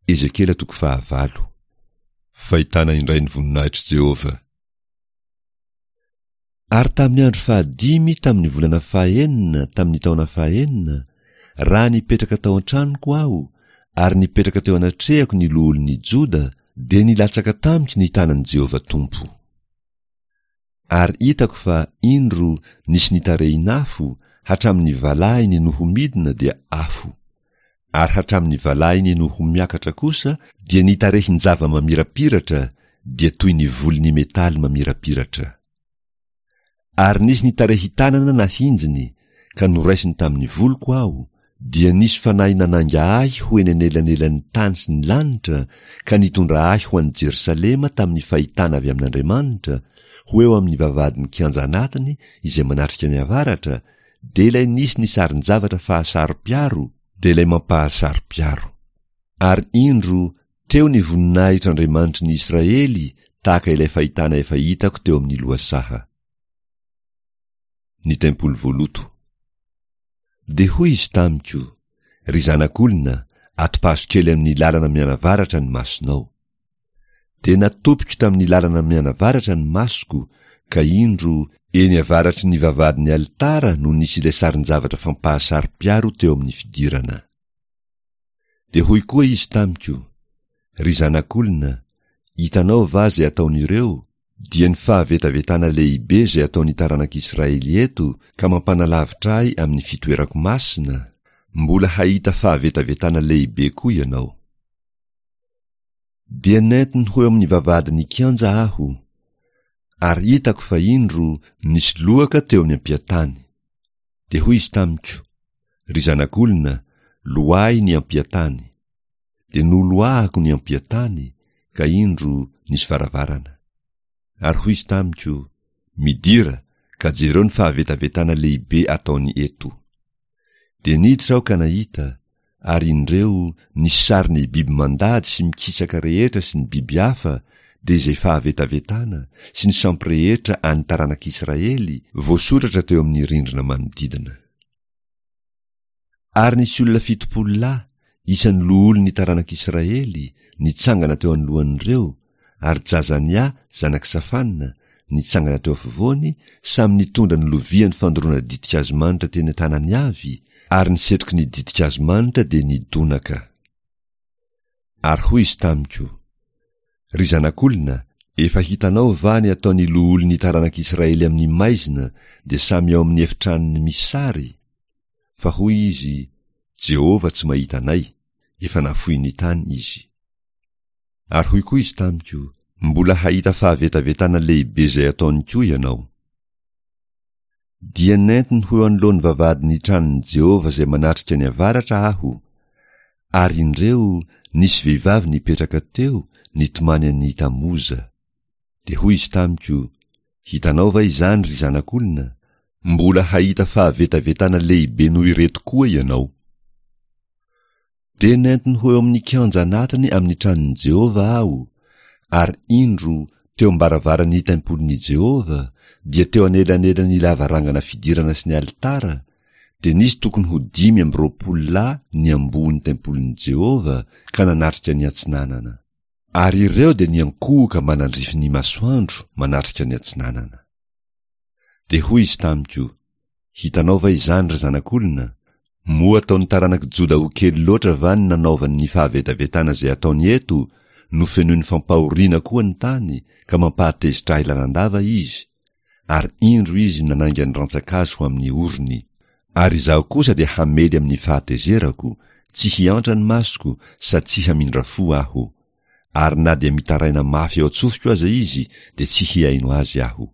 Ezekiela toko fahavalo. Fahitana indray ny voninahitr'i Jehovah. Ary tamin'ny andro fahadimy tamin'ny volana fahenina tamin'ny taona fahenina, raha nipetraka tao an-tranoko aho, ary nipetraka teo anatrehako ny loholon'ny Joda, dia nilatsaka tamiko ny tanan'i Jehovah Tompo. Ary hitako fa, indro, nisy nitarehin'afo, hatramin'ny valahiny no ho midina dia afo. Ary hatramin'ny valahiny no ho miakatra kosa dia nitarehin-java-mamirapiratra, dia toy ny volon'ny metaly mamirapiratra. Ary nisy nitarehin-tanana nahinjiny, ka noraisiny tamin'ny voloko aho, dia nisy fanahy nanainga ahy ho eny anelanelan'ny tany sy ny lanitra, ka nitondra ahy ho any Jerosalema tamin'ny fahitana avy amin'Andriamanitra, ho eo amin'ny vavahadin'ny kianja anatiny izay manatrika ny avaratra, dia ilay nisy ny sarin-javatra fahasaro-piaro, dia ilay mampahasaro-piaro. Ary indro, teo ny voninahitr'Andriamanitry ny Israely tahaka ilay fahitana efa hitako teo amin'ny lohasaha. Ny tempoly voaloto. Dia hoy izy tamiko, Ry zanak'olona, atopazo kely amin'ny lalana mianavaratra ny masonao. Dia natopiko tamin'ny lalana mianavaratra ny masoko, ka indro, eny avaratry ny vavahadin'ny alitara no nisy ilay sarin-javatra fampahasaro-piaro teo amin'ny fidirana. Dia hoy koa izy tamiko, Ry zanak'olona, hitanao va izay ataon'ireo, dia ny fahavetavetana lehibe izay ataon'ny taranak'Israely eto ka mampanalavitra ahy amin'ny fitoerako masina? Mbola hahita fahavetavetana lehibe koa ianao. Dia nentiny ho eo amin'ny vavahadin'ny kianja aho, ary hitako fa indro nisy lohaka teo amin'ny ampiantany. Dia hoy izy tamiko, Ry zanak'olona, loahy ny ampiantany. Dia noloahako ny ampiantany, ka indro nisy varavarana. Ary hoy izy tamiko, Midira, ka jereo ny fahavetavetana lehibe ataony eto. Dia niditra aho ka nahita, ary indreo nisy sarin'ny biby mandady sy mikisaka rehetra sy ny biby hafa, dia izay fahavetavetana, sy ny sampy rehetra an'ny taranak'Israely, voasoratra teo amin'ny rindrina manodidina. Ary nisy olona 70 lahy, isan'ny loholon'ny taranak'Israely, nitsangana teo anoloan'ireo, ary Jazania, zanak'i Safana, nitsangana teo afovoany, samy nitondra ny loviany fandoroana ditin-kazo manitra teny an-tanany avy, ary ny setroky ny ditin-kazo manitra dia nidonaka. Ary hoy izy tamiko, Ry zanak'olona, efa hitanao va ny ataon'ny loholon'ny taranak'Israely amin'ny maizina, dia samy ao amin'ny efitranony misy sary? Fa hoy izy, Jehovah tsy mahita anay, efa nafoin'ny tany izy. Ary hoy koa izy tamiko, Mbola hahita fahavetavetana lehibe izay ataony koa ianao. Dia nentiny ho eo anoloan'ny vavahadin'ny tranon'i Jehovah izay manatrika ny avaratra aho, ary indreo nisy vehivavy nipetraka teo nitomany an'i Tamoza. Dia hoy izy tamiko, Hitanao va izany, ry zanak'olona? Mbola hahita fahavetavetana lehibe noho ireto koa ianao. Dia nentiny ho eo amin'ny kianja anatiny amin'ny tranon'i Jehovah aho, ary indro, teo am-baravaran'ny tempolin'i Jehovah, dia teo anelanelan'ny lavarangana fidirana sy ny alitara, dia nisy tokony ho 25 lahy niamboho ny tempolin'i Jehovah ka nanatrika ny atsinanana. Ary ireo dia niankohoka mba nandrify ny masoandro manatrika ny atsinanana. Dia hoy izy tamiko, Hitanao va izany, ry zanak'olona? Moa ataon'ny taranak'i Joda ho kely loatra va ny nanaovany ny fahavetavetana izay ataony eto, nofenoiny fampahoriana koa ny tany, ka mampahatezitra ahy lalandava izy? Ary indro izy nanainga ny rantsan-kazo ho amin'ny orony. Ary izaho kosa dia hamely amin'ny fahatezerako, tsy hiantra ny masoko, sady tsy hamindra fo aho. Ary na dia mitaraina mafy ao an-tsofiko aza izy, dia tsy hihaino azy aho.